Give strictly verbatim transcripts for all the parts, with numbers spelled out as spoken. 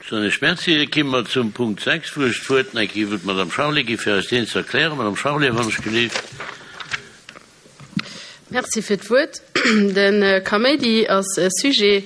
Soen ech Merci. Da komme mer zum Punkt sechs, wou ech d'Wuert nach eng Kéier wëll d'Madame Charlé gi fir eis deen ze erklären. Madame Charlé, wann ech gelift. Merci fir d'Wuert. De Kaméidi ass e Sujet,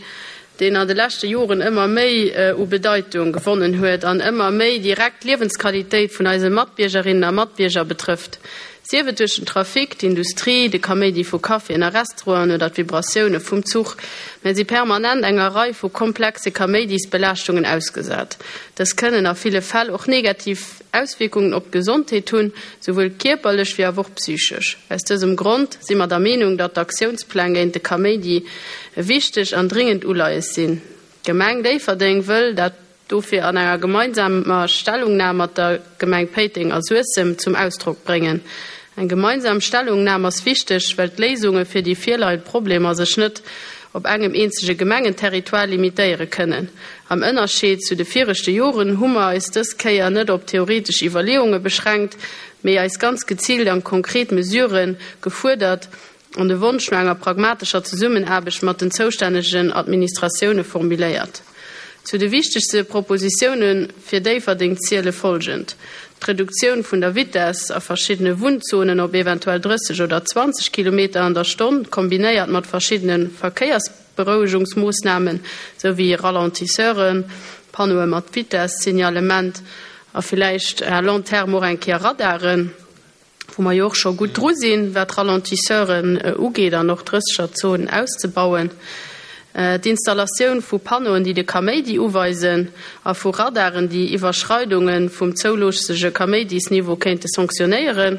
deen an de leschte Joren ëmmer méi u Bedeitung gewonnen huet an ëmmer méi direkt d'Liewensqualitéit vun eise Matbiergerinnen a Matbierger betrëfft. Sief et duerch den Trafic, d'Industrie, de Kaméidi vu Caféen a Restauranten oder d'Vibratioune vum Zuch, mir si permanent enger Rei vu komplexe Kaméidisbelaaschtungen ausgesat. Dës kënnen a ville Fäll och negativ Auswierkungen op d'Gesondheet hunn, souwuel kierperlech wéi awer och psychesch. Aus dësem Grond si mer der Meenung, datt d'Aktiounspläng géint de Kaméidi e wichteg an dringend Uleies sinn. D'Gemeng Déifferdeng wëll dat dofir an enger gemeinsamer Stellungnam mat der Gemeng Péiteng a Suessem zum Ausdrock bréngen. Eng gemeinsam Stellungnam ass wichteg, well d'Léisunge fir déi virleiend Problemer sech net op engem eenzege Gemengenterritoire limitéiere kënnen. Am Ënnerscheed zu de viregte Joren hu mer eis dës Kéier net op theoretesch Iwwerleeunge beschränkt, mee eis ganz geziilt an konkret Mesurë gefuerdert an de Wonsch no enger pragmatescher Zesummenaarbecht mat den zoustännegen Administratioune formuléiert. Zu de wichtegste Propositioune fir Déifferdeng ziele folgend, D'Reduktioun vun der Vitess a verschiddene Wunnzonen op eventuell drësseg oder zwanzeg Kilometer an der Stonn, kombinéiert mat verschiddene Verkéiersberouegungsmoossnamen, sou wéi Ralentisseuren, Panneaue mat Vitess-Signalement a villäicht à long terme och eng Kéier Radaren. wou mer jo och scho gutt dru sinn, wat d'Ralentisseuren ugeet an och d'Drëssegerzonen auszebauen, d'Installatioun vu Panneauen, déi de Kaméidi uweisen, a vu Radaren, déi Iwwerschreidunge vum zouloossege Kaméidisniveau kéinte sanktionéieren,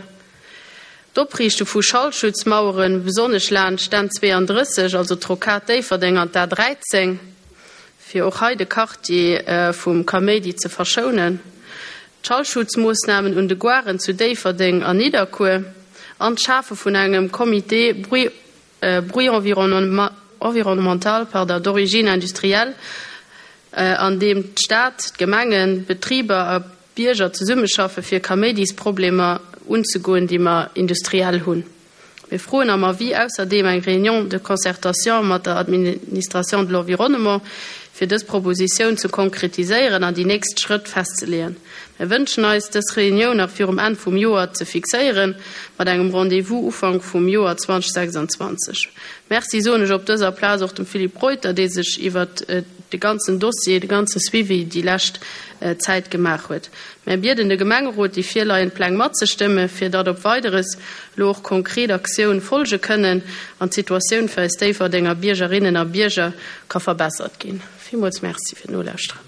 d'Opriichte vu Schallschutzmaueren, besonnesch laanscht d'N zweiunddrësseg, also d'Rocade Déifferdeng an d'A dräizéng, fir och hei de Quartier vum Kaméidi ze verschounen. D'Schallschutzmoossnamen un de Garen zu Déifferdeng an Nidderkuer an d'Schafe vun engem Comité bruit environnemental d'origine industrielle, an deem d'Stad, d'Gemengen, d'Betriber a Bierger zesummeschaffe fir Kaméidisproblemer unzegoen, déi mer industriell hunn. Mir froen am Avis ausserdeem eng Réunion de concertation mat der Administration de l'environnement, fir dës Propositioun ze konkretiséieren an déi nächst Schrëtt festzeleeën. Mir wënschen eis, dës Reunioun nach virum Enn vum Joer ze fixéieren, mat engem Rendez-vous Ufank vum Joer zweitausendsechsundzwanzeg. Merci soen ech op dëser Plaz och dem Philippe Reuter, dee sech iwwert de ganzen Dossier, de ganze Suivi déi lescht Zäit gemaach huet. Mär bieden de Gemengerot, déi virleiend Pläng matzestëmme, fir datt op Weideres elo och konkret Aktioun folge kënnen an d'Situatioun fir eis Déifferdenger Biergerinnen a Bierger ka verbessert ginn. Villmools Merci fir d'Nolauschteren.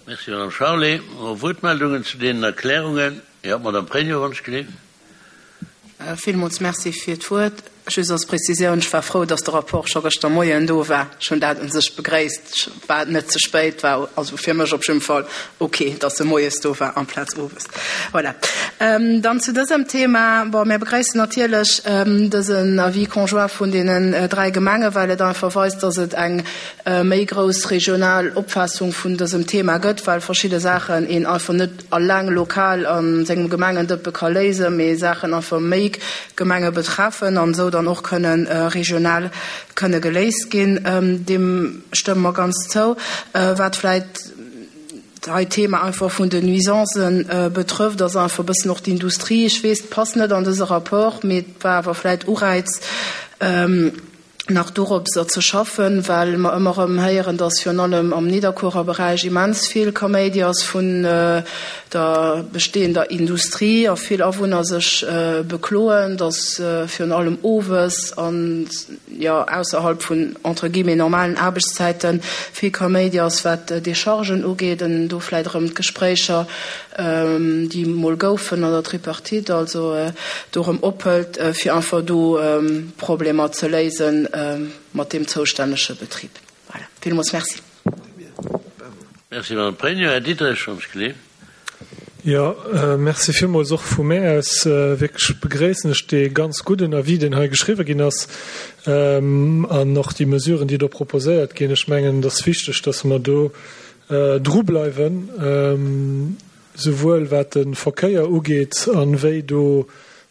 Merci, Madame Charlé. Wuertmeldungen zu deenen Erklärungen? Jo, Madame Pregno, wann ech gelift. Villmools Merci fir d'Wuert. Just als Prezisioun, Ech war frou, dass de Rapport scho gëschter Moien do war. Ech hunn dat u sech begréisst. Et war net ze spéit, war also fir mech op jidde Fall ok, dass e moies do war amplaz owes. Voilà. Dann zu dësem Thema. Bon, mir begréissen natierlech dësen Avis conjoint vun deenen dräi Gemengen, well et einfach weist, dass et eng méi grouss regional Opfaassung vun dësem Thema gëtt, well verschidde Saachen een einfach net alleng lokal a sengem Gemengendëppe ka léisen, mee Saachen einfach méi Gemenge betreffen an esou dann och kënnen regional kënne geléist ginn. Deem stëmme mer ganz zou. Wat vläicht hei d'Thema einfach vun den Nuisancen betrëfft, ass einfach e bëssen och d'Industrie. Ech weess, et passt net an dëse Rapport, mee et war awer vläicht Ureiz, nach doropser ze schaffen, well mer ëmmer erëm héieren, dass virun allem am Nidderkuerer Beräich immens vill Kaméidi ass vun der bestehender Industrie a vill Awunner sech bekloen, dass virun allem owes an, jo, ausserhalb vun entre guillemets normalen Aarbechtszäite vill Kaméidi ass, wat d'Déchargen ugeet, an do vläicht erëm d'Gespréicher, déi mol goufen an der Tripartite, also do erëm ophëlt, fir einfach do Problemer ze léisen mat deem zoustännege Betrib. Voilà. Villmools Merci. Merci, Madame Pregno. Här Diderich, wann ech geleeft. Jo, Merci villmools och vu mär aus. Wierklech begréissen ech dee ganz gudden Avis, deen hei geschriwwen ginn ass, an och déi Mesuren, déi do proposéiert ginn. Ech mengen, et ass wichteg, dass mer do drubleiwen, souwuel wat de Verkéier ugeet an wéi do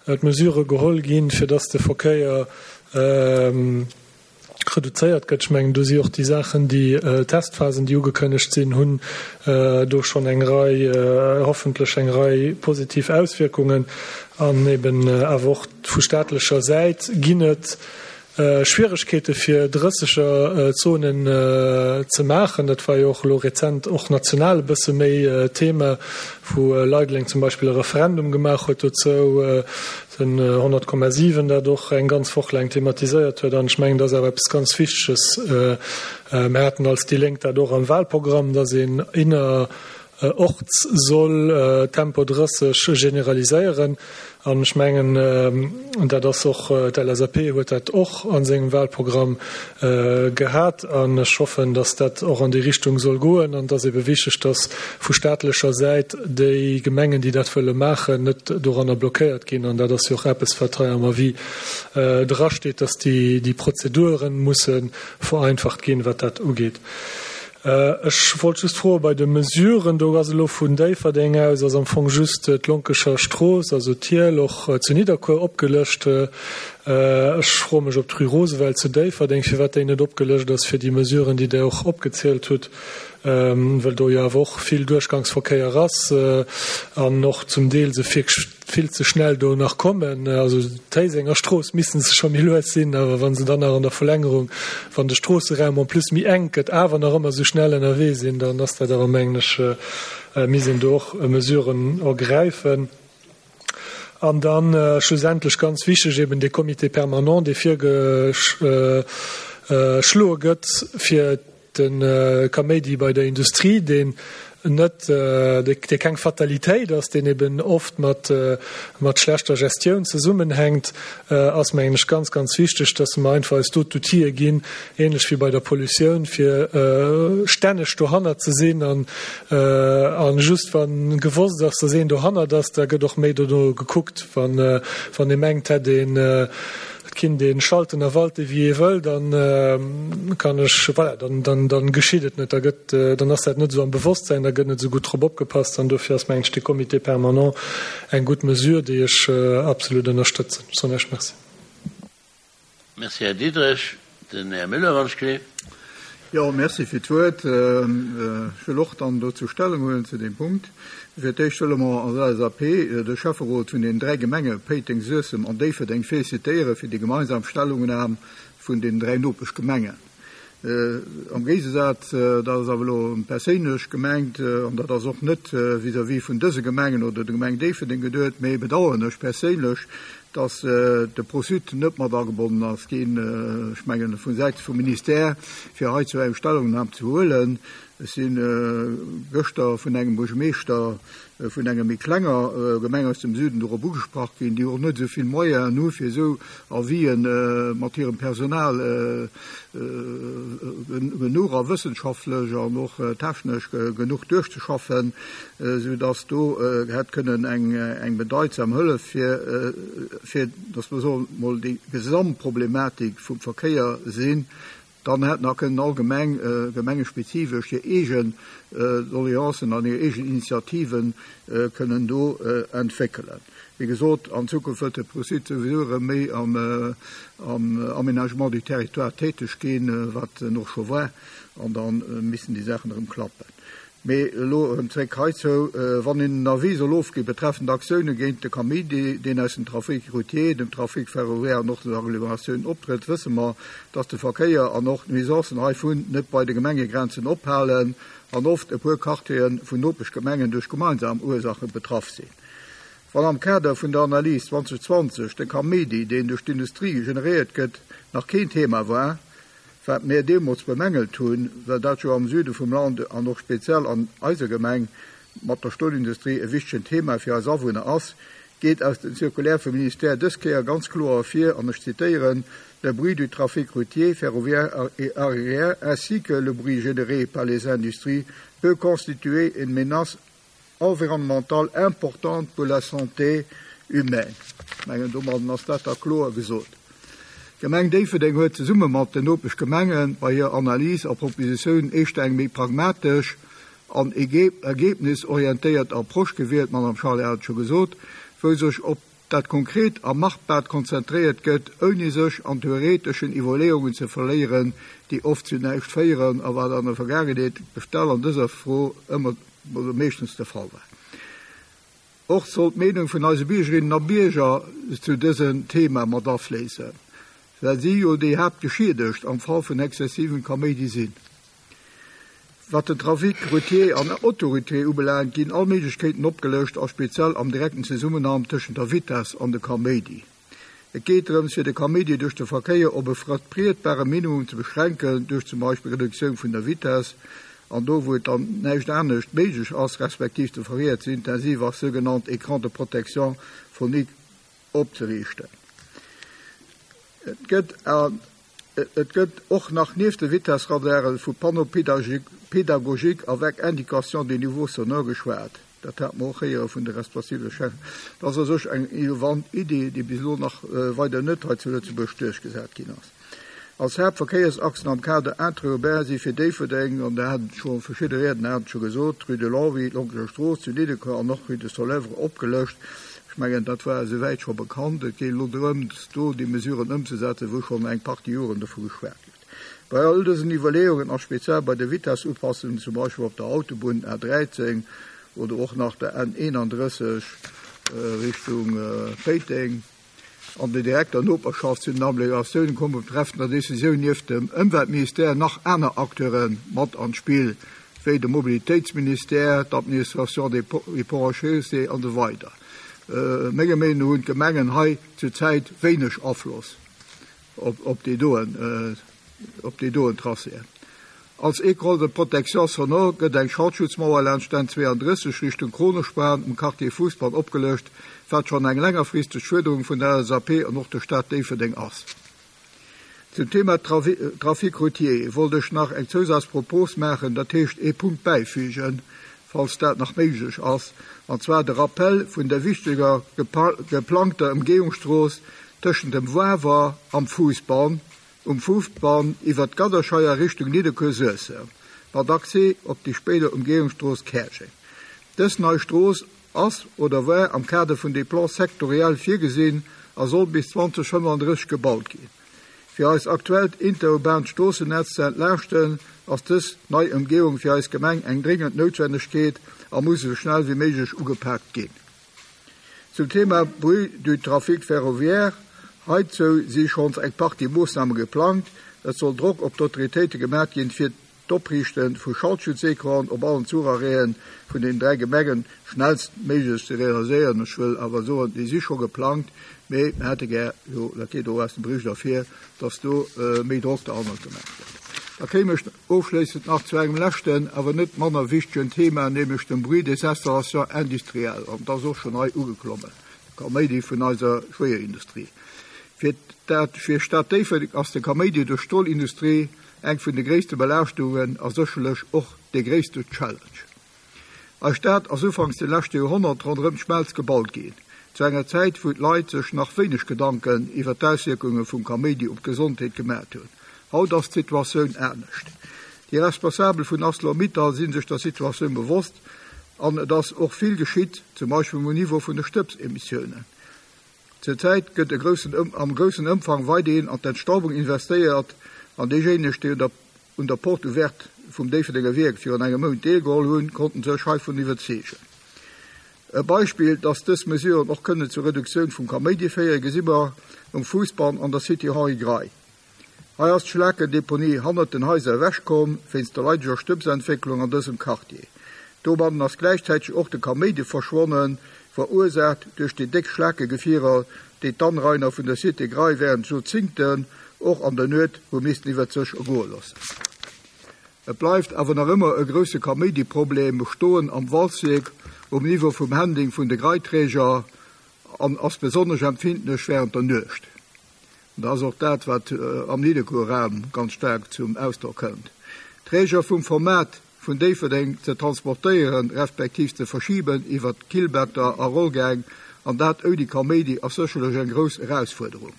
d'Mesurë geholl ginn, fir dass de Verkéier reduzéiert gëtt. Ech mengen, do si och déi Saachen, déi Testphasen, déi ugekënnegt sinn, hunn do schonn eng Rei, hoffentlech eng Rei positiv Auswierkungen. An eben awer och vu staatlecher Säit ginn et Schwieregkeete fir Drëssegerzonen ze maachen. Dat war jo och elo rezent och national e bësse méi Thema, wou Leideleng zum Beispill e Referendum gemaach huet dozou, den honnert Komma siwen dat och eng ganz Woch laang thematiséiert huet. An ech mengen, dat ass awer eppes ganz Wichteges. Mir haten als déi Lénk dat och am Wahlprogramm, dass een innerorts soll Tempo drësseg generaliséieren. An ech mengen, dat ass och, d'LSAP huet dat och a sengem Wahlprogramm gehat. An ech hoffen, dass dat och an déi Richtung soll goen. An et ass ebe wichteg, dass vu staatlecher Säit déi Gemengen, déi dat wëlle maachen, net doranner blockéiert ginn. An dat ass jo och eppes, wat hei am Avis drasteet, dass déi Prozedure musse vereinfacht ginn, wat dat ugeet. Ech wollt just froe bei de Mesuren, do ass elo vun Déifferdeng aus ass am Fong just d'Lonkecher Strooss, also d'Hiel och zu Nidderkuer opgelëscht. Ech froe mech, ob d'Rue Roosevelt zu Déifferdeng, firwat déi net opgelëscht ass fir déi Mesuren, déi Der och opgezielt hutt, well do jo awer och vill Duerchgangsverkéier ass an och zum Deel se vill ze schnell do nach kommen. Also d'Héisenger Strooss missten se scho méi lues sinn, awer wa se dann nach an der Verlängerung, wann de Stroosseraum en plus méi enk gëtt, awer nach ëmmer esou schnell ënnerwee sinn, dann ass dat awer, mengen ech, misst een do och Mesuren ergräifen. An dann schlussendlech ganz wichteg eben dee Comité permanent, dee virgeschloe gëtt fir de Kaméidi bei der Industrie, deen net, dee keng Fatalitéit ass, deen eben oft mat mat schlechter Gestioun zesummenhänkt, ass, mengen ech, ganz, ganz wichteg, dass mer einfach eis do d'Outile ginn, ähnlech wéi bei der Pollutioun, fir stänneg dohannert ze sinn an a just wa gewosst ass, dass een dohannert ass, da gëtt och méi dono gekuckt. Wann wann ee mengt, hätt een, et kinnt ee schalten a walte wéi ee wëll, dann kann ech, voilà, dann, dann, dann geschitt et net, da gëtt, dann ass dat net esou am Bewosstsein, da gëtt net esou gutt drop opgepasst an dofir ass, mengen ech, dee Comité permanent eng gutt Mesure, déi ech absolut ënnerstëtzen. Ech soen Iech Merci. Merci, Här Diderich. Den Här Müller, wann ech gleef. Jo, merci fir d'Wuert. Ech wëll och dann dozou Stellung huelen zu deem Punkt. Fir d'éischt wëlle mer als L S A P de Schäfferot vun den dräi Gemenge Péiteng, Suessem an Déifferdeng félicitéiere fir déi gemeinsam Stellungnam vun den dräi Nopeschgemengen. Am Géigesaz, dat ass awer elo perséinlech gemengt an dat ass och net vis-à-vis vun dëse Gemengen oder der Gemeng Déifferdeng geduet, mee bedauern ech perséinlech, dass de ProSud net mat agebonnen ass ginn, ech mengen vu Säite vum Ministère, fir heizou eng Stellungnam ze huelen. Ech si gëschter vun engem Buergermeeschter vun enger méi klenger Gemeng aus dem Süden dorop ugesprach ginn, déi och net esou vill Moyenen hu fir esou Avisen mat hirem Personal genuch a wëssenschaftlech an och technesch genuch duerchzeschaffen, esou dass do hätt kënnen eng eng bedeitsam Hëllef fir fir dass mer soen mol déi Gesamtproblematik vum Verkéier sinn. Dann hätt nach kënnen all Gemeng gemengespezifesch hir eegen Doleancen an hir eegen Initiativen kënnen do entwéckelen. Wéi gesot, an Zukunft wëllt de ProSud souwisou erëm méi am Aménagement du territoire täteg ginn, wat en och scho war, an da missten déi Saachen erëm klappen. Mee elo erëm zréck heizou, Wann een en Avis soll ofgi betreffend Aktioune géint de Kaméidi, deen aus dem Trafic routier, dem Trafic ferroviaire an och den Agglomeratiounen optrëtt, wësse mer, dass de Verkéier an och d'Nuisancen heivun net bei de Gemengegrenzen ophalen an oft e puer Quartiere vun Nopeschgemengen duerch gemeinsam Ursache betraff sinn. Wann am Kader vun der Analys zweedausendzwanzeg de Kaméidi, deen duerch d'Industrie generéiert gëtt, nach keen Thema war, wat mir deemools bemängelt hunn, well dat jo am Süde vum Land an och speziell an eiser Gemeng mat der Stolindustrie e wichtegen Thema fir eis Awunner ass, geet aus dem Circulaire vum Ministère dës Kéier ganz kloer ervir, an ech zitéieren, Le bruit du trafic routier, ferroviaire et aérien ainsi que le bruit généré par les industries peut constituer une menace environnementale importante pour la santé humaine. Ech mengen, domadden ass dat da kloer gesot. D'Gemeng Déifferdeng huet zesumme mat den Nopeschgemenge bei hir Analys a Propositiounen éischter eng méi pragmatesch an ergebnisorientéiert Approche gewielt, d'Madame Charlé hat et scho gesot, wou sech op dat konkret a machbar konzentréiert gëtt, ouni sech an theoreteschen Iwwerleeungen ze verléieren, déi oft zu näischt féieren, a wat an der Vergaangenheet speziell an dëser Fro ëmmer oder meeschtens de Fall war. Och soll d'Meenung vun eise Biergerinnen a Bierger zu dësem Thema mat afléissen, well si jo déi Haaptgeschiedegt am Fall vun exzessivem Kaméidi sinn. Wat den Trafic routier an autoroutier ubelaangt, ginn all Méiglechkeeten opgelëscht a speziell am direkten Zesummenhang tëschent der Vitess an de Kaméidi. Et geet drëms, fir de Kaméidi duerch de Verkéier op e vertrietbare Minimum ze beschränken, duerch zum Beispill Reduktioun vun der Vitess, an do wou et dann näischt anescht méiglech ass, respektiv de Verkéier ze intensiv ass, sougenannt Écran de protection phonique opzeriichten. Et gëtt et gëtt och nach nieft de Vitessradare vu Panneau pédagogique avec indication des niveaux sonores geschwat. Dat hat mer och héiere vun de responsabele Chef. Dat ass u sech eng innovant Idee, déi bis elo nach weider net hei zu Lëtzebuerg duerchgesat ginn ass. Als Haaptverkéiersachsen am Kader interurbain si fir Déifferdeng, an dat haten scho verschidde Riedner haten scho gesot, d'Rue de Longwy, d'Lonkeler Strooss zu Nidderkuer an och Rue de Soleuvre opgelëscht. Ech mengen, dat war esouwäit scho bekannt. Et geet elo drëms, do déi Mesuren ëmzesetzen, wou schonn eng Partie Joren dovu geschwat gëtt. Bei all dësen Iwwerleeungen a speziell bei de Vitessupassungen, zum Beispill op der Autobunn A dräizéng oder och nach der N eenandrësseg Richtung Péiteng, an der direkter Noperschaft zu den Agglomeratiounen kommen betreffend der Decisioun nieft dem Ëmweltministère nach aner Acteure mat an d'Spill, wéi de Mobilitéitsministère, d'Administration des Ponts et Chaussées an esou weider. Menger Meenung no hunn d'Gemengen hei zurzäit wéineg Afloss op, op déi doen, op déi doen Tracéen. Als Écran de protection sonore gëtt eng Schaltschutzmauer laanscht d'N zweeandrësseg Richtung Kronospan um Quartier Fuussbann opgelëscht, wat schonn eng längerfristeg Fuerderung vun der L S A P an och der Stad Déifferdeng ass. Zum Thema Trafic routier wollt ech nach eng Zousazpropos maachen, dat heescht ee Punkt bäifügen, falls dat nach méiglech ass, an zwar de Rappel vun der wichteger geplangter Ëmgehungsstrooss tëschent dem Wawer am Fuussbann, um Fuussbann iwwer d'Gadderscheier Richtung Nidderkuer-Suessem, mat Accès op déi spéider Ëmgehungsstrooss Käerjeng. Dës nei Strooss ass oder war am Kader vun de Plans sectoriels virgesinn a soll bis zweedausendfënnefandrësseg gebaut ginn. Fir eist aktuellt interurbaant Stroossennetz ze entlaaschten, ass dës nei Ëmgehung fir eis Gemeng eng dringend Noutwennegkeet a muss esou schnell wéi méiglech ugepaakt ginn. Zum Thema Bruit du trafic ferroviaire: Heizou si schonns eng Partie Moossname geplangt. Et soll Drock op d'Autoritéite gemaach ginn, fir d'Opriichte vu Schaltschutzecranen op allen Zucharrêten vun den dräi Gemengen schnellstméiglech ze realiséieren. Ech wëll awer soen, déi si scho geplangt, mee mir hätte gär, jo, dat geet och aus dem Bericht ervir, dass do méi Drock derhannert gemaach gëtt. Da kéim ech ofschléissend nach zu engem leschten, awer net manner wichtegen Thema, nämlech dem Bruit des installations industrielles. An dat ass och schonn hei ugeklommen, de Kaméidi vun eiser Schwéierindustrie. Fir dat fir Stad Déifferdeng ass de Kaméidi duerch d'Stolindustrie eng vun de gréisste Belaaschtungen a sécherlech och de gréisste Challenge. Eis Stad ass ufanks de leschte Joerhonnert ronderëm d'Schmelz gebaut ginn, zu enger Zäit, wou d'Leit sech nach wéineg Gedanken iwwer d'Auswierkunge vum Kaméidi op d'Gesondheet gemaach hunn. Haut ass d'Situatioun anescht. Déi Responsabel vun ArcelorMittal si sech der Situatioun bewosst an et ass och vill geschitt, zum Beispill um Niveau vun de Stëbsemissiounen. Zur Zäit gëtt e groussen, am groussen Ëmfang weiderhin an d'Entstaubung investéiert an déijéineg, déi un der, un der Porte ouverte vum Déifferdenger Wierk virun engem Mount deelgeholl hunn, konnten sech heivun iwwerzeegen. E Beispill, dass dës Mesuren och kënnen zur Reduktioun vum Kaméidi féieren, gesi mer um Fuussbann an der Cité Henri Grey. Hei ass d'Schlakendeponie hannert den Haiser ewechkomm, wéinst der leideger Stëbsentwécklung an dësem Quartier. Domadden ass gläichzäiteg och de Kaméidi verschwonnen, verursaacht duerch déi déck Schlakegefierer, déi d'Anrainer vun der Cité Grey wärend Joerzéngten och an der Nuet hu missten iwwer sech ergoe loossen. Et bleift awer nach ëmmer e grousse Kaméidi-Problem bestoen am Walzwierk um Niveau vum Handling vun de Greiträger an ass besonnesch empfindlech wärend der Nuecht. An dat ass och dat, wat am Nidderkuer Raum ganz staark zum Ausdrock kënnt. Träger vum Format vun Déifferdeng ze transportéieren, respektiv ze verschiben iwwer Killbetter a Rollgäng, an dat ouni Kaméidi, ass sécherlech eng grouss Erausfuerderung.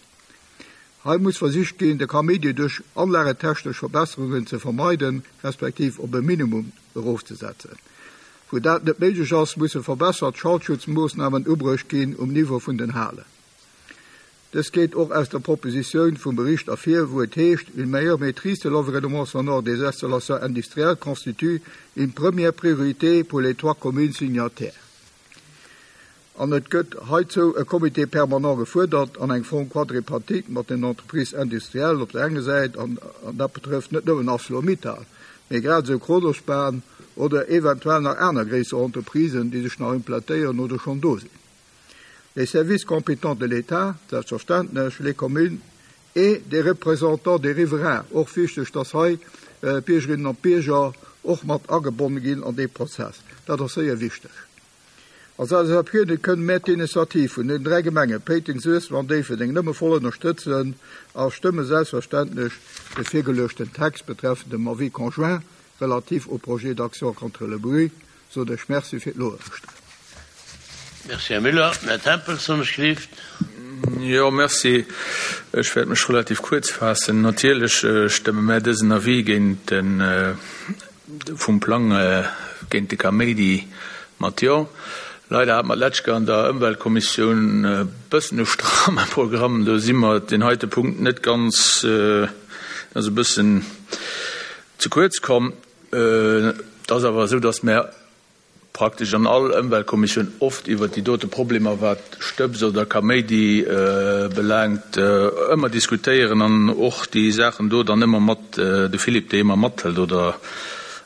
Hei muss versicht ginn, de Kaméidi duerch anlagetechnesch Verbesserungen ze vermeiden, respektiv op e Minimum erofzesetzen. Wou dat net méiglech ass, musse verbessert Schallschutzmoossnamen ubruecht ginn um Niveau vun den Halen. Dës geet och aus der Propositioun vum Bericht ervir, wou et heescht, Une meilleure maîtrise de l'environnement sonore des installations industrielles constitue une première priorité pour les trois communes signataires. An et gëtt heizou e Comité permanent gefuerdert an eng Fonds quadripartite mat den Entreprises industrielles op der enger Säit, an dat betrëfft net nëmmen ArcelorMittal, mee grad esou Kronospan oder eventuell nach aner gréisser Entreprisen, déi sech nach implantéieren oder schonn do sinn. Les services compétents de l'État, selbstverständlech, les communes et des représentants des riverains, och wichteg, dass hei d'Biergerinnen an d'Bierger och mat agebonne ginn an dee Prozess. Dat ass séier wichteg. Als LSAP kënnen mär d'Initiativ vun den dräi Gemenge Péiteng, Suessem an Déifferdeng nëmme voll ënnerstëtzen a stëmme selbstverständlech de virgeluechten Text betreffend dem Avis conjoint relatif au projet d'action contre le bruit. Sot ech Merci fir d'Nolauschteren. Merci, Här Müller. Här Tempels, wann ech gelift. Jo, merci. Ech wäert mech relativ kuerz faassen. Natierlech stëmme mär dësen Avis géint de vum Plang géint de Kaméidi mat Jo. Leider hat mer d'lescht Kéier an der Ëmweltkommissioun e bëssen e stramme Programm. Do si mer deen heite Punkt net ganz, ass e bëssen ze kuerz komm. Et ass awer esou, dass mer praktesch an all Ëmweltkommissioun oft iwwert déi dote Problemer, wat Stëbs oder Kaméidi belaangt, ëmmer diskutéieren an och déi Saachen do dann ëmmer mat, de Philippe déi ëmmer mathëlt oder,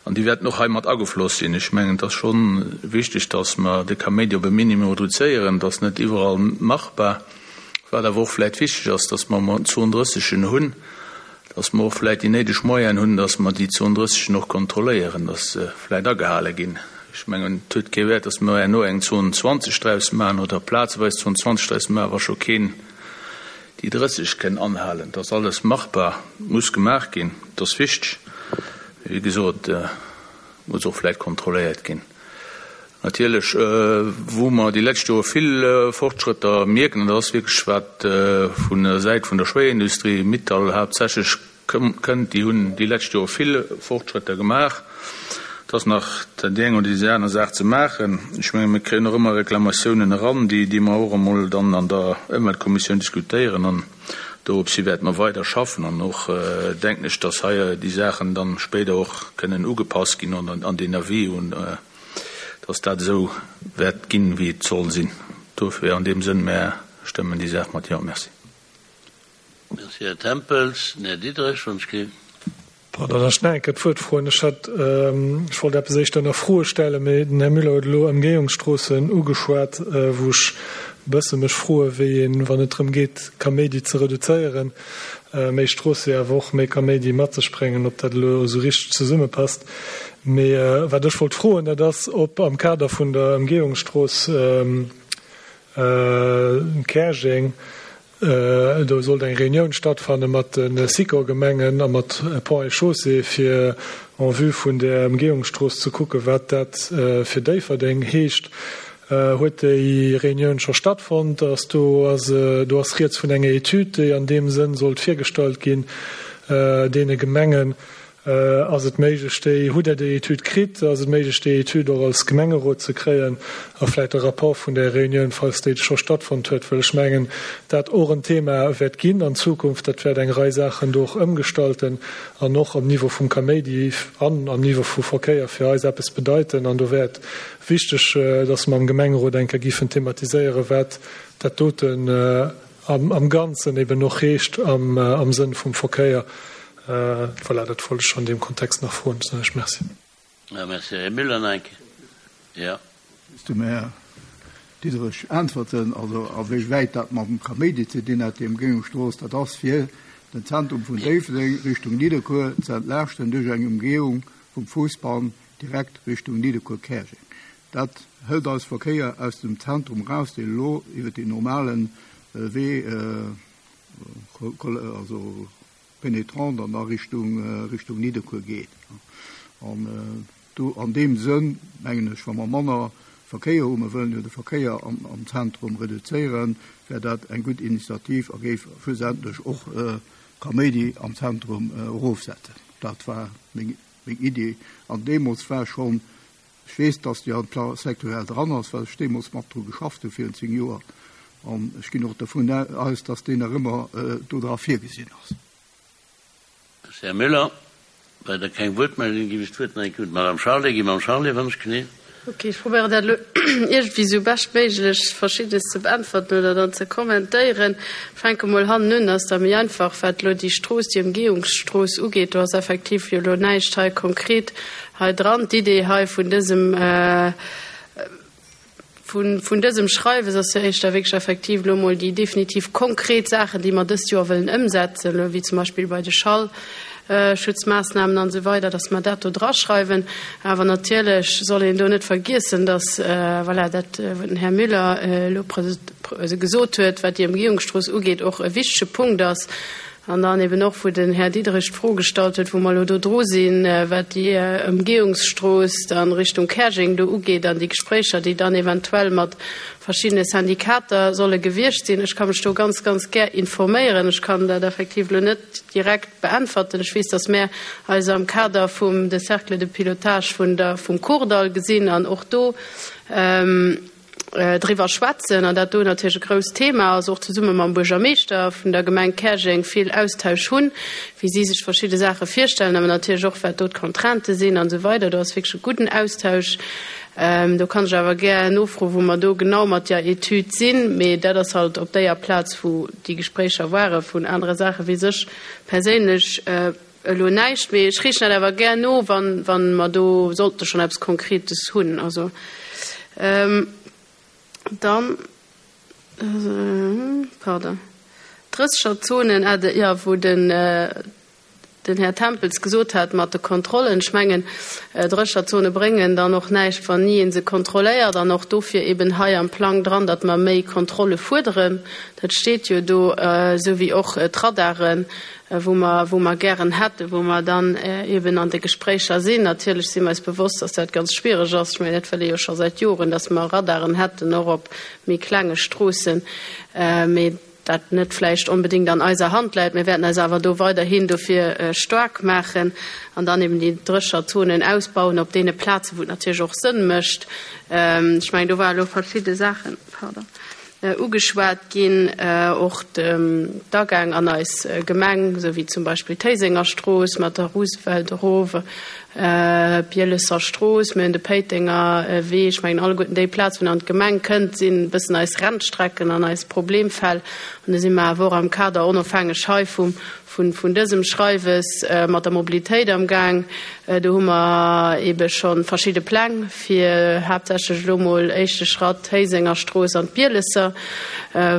an déi wäerten och hei mat agefloss sinn. Ech mengen, et ass scho wichteg, dass mer de Kaméidi op e Minimum reduzéieren. Dat ass net iwwerall machbar. Wat awer och vläicht wichteg ass, dass mer emol zwouendrëssegen hunn, dass mer och vläicht déi néideg Moyenen hunn, dass mer déi zwouendrëssegen och kontrolléieren, dass se vläicht agehale ginn. Ech mengen, et huet kee Wäert, dass mer herno eng Zone zwanzeg draus maachen oder plazeweis Zone zwanzeg draus maachen, wa scho keen déi drësseg kënn anhalen. Dat ass alles machbar, muss gemaach ginn, dat ass wichteg. Wéi gesot, muss och vläicht kontrolléiert ginn. Natierlech, wou mer déi lescht Jore vill Fortschrëtter mierken, an dat ass wierklech wat vun der Säit vun der Schwéierindustrie, Mittal haaptsächlech, kënnt, déi hunn déi lescht Jore vill Fortschrëtter gemaach. Et ass nach déi eng oder déi aner Saach ze maachen. Ech menge mir kréien och ëmmer Reklamatiounen eran, déi, déi mer och emol dann an der Ëmweltkommissioun diskutéieren. An doropshi wäerte mer weider schaffen. An och denken ech, dass hei déi Saachen dann spéider och kënnen ugepasst ginn an, an den Avis, un, dass dat esou wäert ginn, wéi et soll sinn. Dofir an deem Sënn, mär stëmmen déi Saach mat Jo. Merci. Merci, Här Tempels. Den Här Diderich, wann ech gelift. Pardon, ech nach eng Kéier d'Wuert froen. Ech hat, ech wollt eppes éischter nach Froe stellen, mee den Här Müller huet elo Ëmgehungsstroossen ugeschwat, wou ech e bësse mech froe wéi een, wann et drëm geet, Kaméidi ze reduzéieren, méi Stroosse awer och méi Kaméidi mat sech bréngen, ob dat elo esou richteg zesummepasst. Mee wat ech wollt froen, dat ass, ob am Kader vun der Ëmgehungsstrooss Käerjeng, do sollt eng Reunioun stattfanne mat de Sikor-Gemengen a mat Ponts et Chaussées, fir en vue vun der Ëmgehungsstrooss ze kucke wat dat fir Déifferdeng heescht. Huet déi Reunioun scho stattfonnt? Ass do, ass, do ass rieds vun enger Etüd, déi an deem Sënn sollt virgestallt ginn deene Gemengen. Ass et méiglech, déi, hutt Der déi Etüd kritt? Ass et méiglech, déi Etüd och als Gemengerot ze kréien a vläicht e Rapport vun där Reunioun, falls déi scho stattfonnt huet? Well ech mengen, dat och en Thema wäert ginn an Zukunft. Dat wäert eng Rei Saachen do och ëmgestalten an och am Niveau vum Kaméidi an am Niveau vu Verkéier fir eis eppes bedeiten. An do wär et wichteg, dass mer am Gemengerot eng Kéier giffen thematiséieren, wat dat doten am, am Ganzen eben och heescht am, am Sënn vum Verkéier. Voilà, dat wollt ech an deem Kontext nach froen. Soen ech Merci. Ja, merci. Här Müller, nach eng Kéier. Ja. Dem Här Diderich äntwerten, also a wéi wäit dat mam Kaméidi ze dinn hat, déi Ëmgehungsstrooss, dat ass fir den Zentrum vun Déifferdeng Richtung Nidderkuer ze entlaaschten duerch eng Ëmgehung vum Fuussbann direkt Richtung Nidderkuer-Käerjeng. Dat hëlt eis Verkéier aus dem Zentrum raus, deen elo iwwer den normalen Wee, also pénétrant an da Richtung, Richtung Nidderkuer geet. An do an deem Sënn mengen ech, wa mer manner Verkéier hu, mer wëllen jo de Verkéier am, am Zentrum reduzéieren, wär dat eng gutt Initiativ a géif schlussendlech och Kaméidi am Zentrum erofsetzen. Dat war meng, meng Idee. An deemools war schonn, Ech weess, dass déi am Plan sectoriel dran ass, well ech deemools mat dru geschafft hu virun zéng Joer. An ech ginn och dovun aus, dass deen nach ëmmer do dra virgesinn ass. Här Müller, weider keng Wuertmeldung, géif ech d'Wuert nach eng Kéier un d'Madame Charlé ginn. Madame Charlé, wann ech genee. Ok, ech probéieren dat elo iergendwéi esou beschtméiglech Verschiddenes ze beäntwerten oder dann ze kommentéieren. Fänke mol hannen un, ass da méi einfach, wat elo déi Strooss, déi Ëmgehungsstrooss ugeet. Do ass effektiv jo elo näischt hei konkret hei dran. D'Idee hei vun dësem, vun dësem Schreiwes ass jo éischter wierklech effektiv elo emol déi definitiv konkret Saachen, déi mer dëst Joer wëllen ëmsetzen, elo wéi zum Beispill bei de Schallschutzmaassnamen an esou weider, dass mer dat do draschreiwen. Awer natierlech soll een do net vergiessen, dass, voilà, dat, wat den Här Müller elo gesot huet, wat déi Ëmgehungsstrooss ugeet, och e wichtege Punkt ass. An dann eben och, wou den Här Diderich d'Fro gestallt huet, wou mer elo do dru sinn, wat déi Ëmgehungsstrooss dann Richtung Käerjeng do ugeet an déi Gespréicher, déi dann eventuell mat verschiddene Syndikater solle gewiescht sinn. Ech ka mech do ganz, ganz gär informéieren. Ech kann dat effektiv elo net direkt beäntwerten. Ech weess, dass mär eis am Kader vum de Cercle de pilotage vun der, vum Kordall gesinn an och do driwwer schwätzen an dat do natierlech e grousst Thema ass, och zesumme mam Buergermeeschter vun der Gemeng Käerjeng vill Austausch hunn, wéi si sech verschidde Saache virstellen, awer natierlech och wat do d'Contraintë sinn an esou weider. Do ass wierklech e gudden Austausch. Do kann ech awer gär nofroen, wou mer do genau mat där Etüd sinn, mee dat ass halt op déier Plaz, wou déi Gespréicher ware. Vun anere Saache weess ech perséinlech elo näischt, mee ech reechen dat awer gär no, wann, wann mer do sollte schonn eppes Konkretes hunn. Also dann, pardon, d'Drëssegerzonen, jo, wou den, den Här Tempels gesot hat mat de Kontrollen. Ech mengen, Drécherzone bréngen dann och näischt, wann ni ee se kontrolléiert. An och dofir eben hei am Plang dran, datt mer méi Kontrolle fuerderen. Dat steet jo do, esou wéi och d'Radaren, wou mer, wou mer gären hätten, wou mer dann eben an de Gespréicher sinn. Natierlech si mer eis bewosst, datt dat ganz schwiereg ass. Ech mengen, dat wëlle jo scho säit Joren, datt mer Radaren hätten, och op méi klenge Stroossen. Mee dat net vläicht onbedéngt an eiser Hand läit. Mir wäerten eis awer do weiderhin dofir staark maachen an dann eben déi Drécherzonen ausbauen op deene Plazen, wou et natierlech och Sënn mécht. Ech mengen, do ware lo verschidde Saachen, pardon, ugeschwat ginn, och d'Agäng an eis Gemeng, esou wéi zum Beispill d'Héisenger Strooss mat der Roosevelt erof, Bielesser Strooss, mir hunn de Péitenger Wee. Ech mengen, alleguerten déi Plazen, wou een an d'Gemeng kënnt, sinn e bëssen eis Rennstrecken an eis Problemfäll. An do si mer awer och am Kader, onofhängeg hei vum, vun, vun dësem Schreiwes, mat der Mobilitéit am Gaang. Do hu mer eebe scho verschidde Pläng fir haaptsächlech elo mol éischte Schratt d'Héisenger Strooss an d'Bielesser,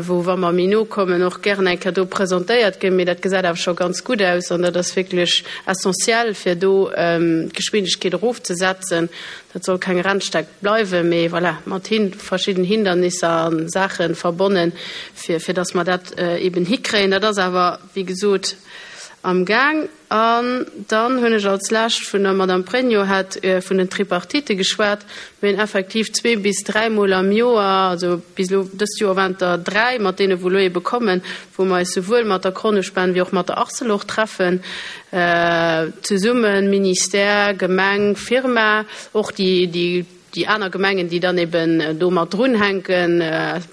wou, wa mer méi no kommen, och gären eng Kéier do presentéiert ginn. Mee dat gesäit awer scho ganz gutt aus an dat ass wierklech essentiell, fir do d'Geschwindegkeet erofzesetzen. Dat soll keng Rennsteck bleiwen, mee voilà, mat hin, verschidden Hindernisser a Saache verbonnen, fir, fir dass mer dat eben hikréien. Dat ass awer, wéi gesot, am Gaang. An dann hunn ech als Lescht vun der Madame Pregno hat vun den Tripartitë geschwat. Mir hunn effektiv zwee bis dräimol am Joer, also bis elo dëst Joer waren et der dräi, mat deene wou elo ebe kommen, wou mer eis souwuel mat der Kronospan wéi och mat der Arcelor treffen, zesummen, Ministère, Gemeng, Firma, och déi, déi, déi aner Gemengen, déi dann eben do mat drunhänken,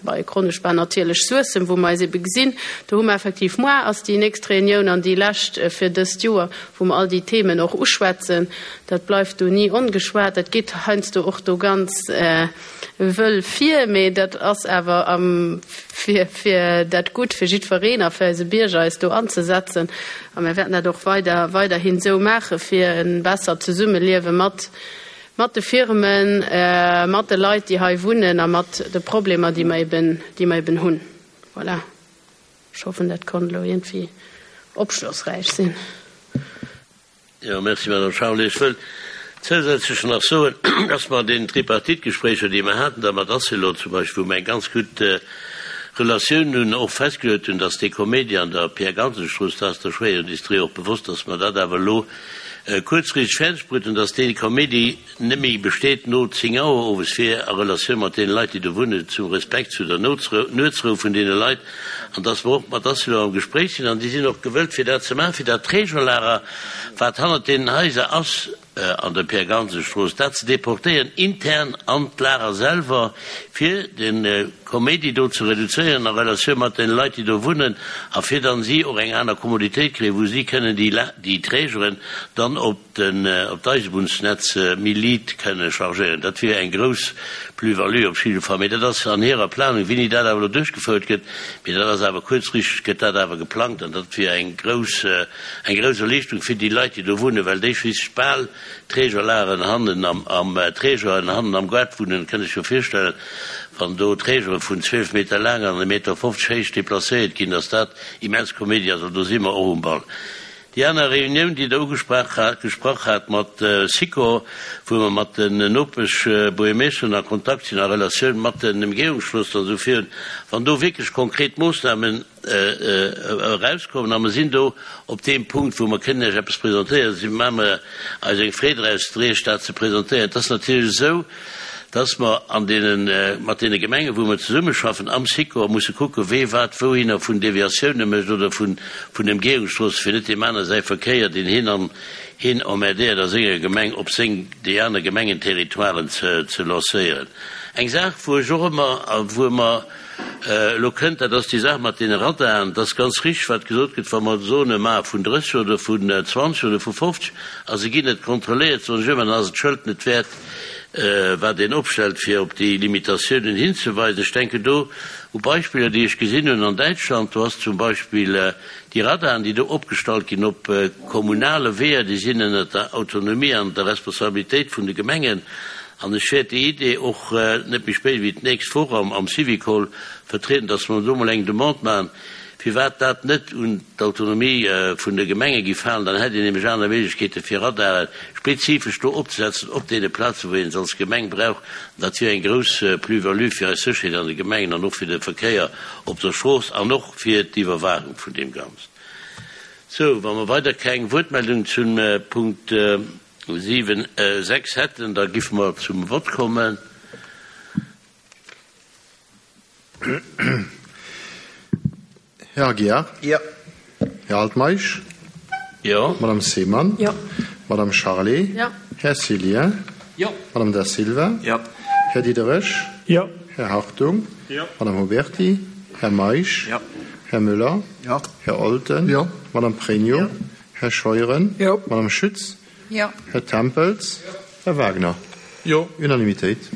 bei Kronospan natierlech Suessem, wou mer eis ebe gesinn. Do hu mer effektiv, moar ass déi nächst Reunioun an déi lescht fir dëst Joer, wou mer all déi Themen och uschwätzen. Dat bleift do ni ongeschwat. Dat geet heiansdo och do ganz wëll vir, mee dat ass awer am fir, fir dat Gutt fir jiddwereen a fir eise Bierger eis do anzesetzen. A mir wäerten dat och weider, weiderhin esou maache fir e bessert Zesummeliewe mat, mat de Firmen, mat de Leit, déi hei wunnen a mat de Problemer, déi mer eben, déi mer eben hunn. Voilà. Ech hoffen, dat konnt elo iergendwéi opschlossräich sinn. Jo, merci, Madame Charlé. Ech wëll zousätzlech nach soen, dass mer an deenen Tripartite-Gespréicher, déi mer haten, da mat Arcelor zum Beispill, wou mer eng ganz gutt Relatioun hunn, och festgeluet hunn, dass dee Comédie an der Pierre-Gansen-Strooss, dat ass der Schwéierindustrie och bewosst, dass mer dat awer elo kuerzfristeg fäerdeg bruet hunn, dass dee Comédie net méi besteet no zéng Auer owes, fir a Relatioun mat deene Leit, déi do wunnen, zum Respekt zu der Nuetsrou vun deene Leit, an dass mer och mat Arcelor am Gespréich sinn, an déi sinn och gewëllt, fir dat ze maachen, fir dat Trägerlager, wat hannert deenen Haiser ass, an der Pierre-Gansen-Strooss, dat ze deportéieren intern an d'Lager selwer, fir de Kaméidi do ze reduzéieren a Relatioun mat den Leit, déi do wunnen, a fir dann si och eng aner Kommoditéit kréien, wou si kënnen déi, déi Trägeren dann op den, op d'Eisebunnsnetz méi liit kënne chargéieren. Dat wier eng grouss Plus-value op jidde Fall. Mee dat ass an hirer Planung, wéini dat awer elo duerchgefouert gëtt, mee dat ass awer kuerzfristeg gëtt dat awer geplangt an dat wier eng grouss, eng grouss Erliichterung fir déi Leit, déi do wunnen, well déi schliisslech bal Trägerlageren hannen am, am Trägeren hannen am Gaart wunnen, kënnt Iech jo virstellen, wann do Trägere vun zwielf Meter laang an e Meter fofzeg héich deplacéiert ginn, dass dat immens Koméidi ass. An do si mer och um Ball. Déi aner Reunioun, déi Der ugesprach hat, gesprach hat mat Sikor, wou mer mat den Nopeschbuergermeeschteren a Kontakt sinn a Relatioun mat den Emgehungsstroossen an esou virun, wann do wierklech konkret Moossnamen erauskommen, a mer sinn do op deem Punkt, wou mer kënnen Iech eppes presentéieren, si maache mer eis eng Freed draus, Iech dat ze presentéieren. Et ass natierlech esou, dass mer an deenen, mat deene Gemengen, wou mer zesummeschaffen am Sikor, musse kucken, wee wat wouhinner vun Deviatiounen mécht oder vun, vun Emgehungsstroossen, fir net deem aner säi Verkéier, deen hien an, hien emmerdéiert a senger Gemeng, op seng, déi aner Gemengenterritoiren ze, ze lancéieren. Eng Saach, wou ech och ëmmer, a wou mer elo kënnt, dat ass déi Saach mat deene Radaren. Et ass ganz richtig, wat gesot gëtt, wa mer Zone maache vun drësseg oder vun zwanzeg oder vu fofzeg a se ginn net kontrolléiert, soen ech ëmmer, dann ass et d'Schëld net wäert, wat een opstellt, fir op déi Limitatiounen hinzeweisen. Ech denken do u Beispiller, déi ech gesinn hunn an Däitschland. Do ass zum Beispill déi Radaren, déi do opgestallt ginn op kommunale Weeër, déi sinn ënnert der Autonomie an der Responsabilitéit vun de Gemengen. An ech wäert déi Idee och net méi spéit wéi d'nächst Woch am Syvicol vertrieden, dass mer do emol eng Demande maachen, firwat dat net un d'Autonomie vun de Gemenge géif falen. Dann hätt een nämlech aner Méiglechkeete fir Radare spezifesch do opzesetzen op deene Plazen, wou een se als Gemeng brauch. An dat wier eng grouss Plus-value fir eis Sécherheet an de Gemengen an och fir de Verkéier op der Strooss an och fir d'Iwwerwaachung vun deem Ganzen. Sou, wa mer weider keng Wuertmeldung zum Punkt siwen, sechs hätten, da giffe mer zum Vott kommen. Här Aguiar. Jo. Här Altmeisch. Jo. Madame Seemann. Jo. Madame Charlé. Jo. Här Cillien. Jo. Madame Da Silva. Jo. Här Diderich. Jo. Här Hartung. Jo. Madame Huberty. Här Meisch. Jo. Här Müller. Jo. Här Olten. Jo. Madame Pregno. Jo. Här Scheuren. Jo. Madame Schütz. Jo. Här Tempels. Jo. Här Wagner. Jo. Unanimitéit.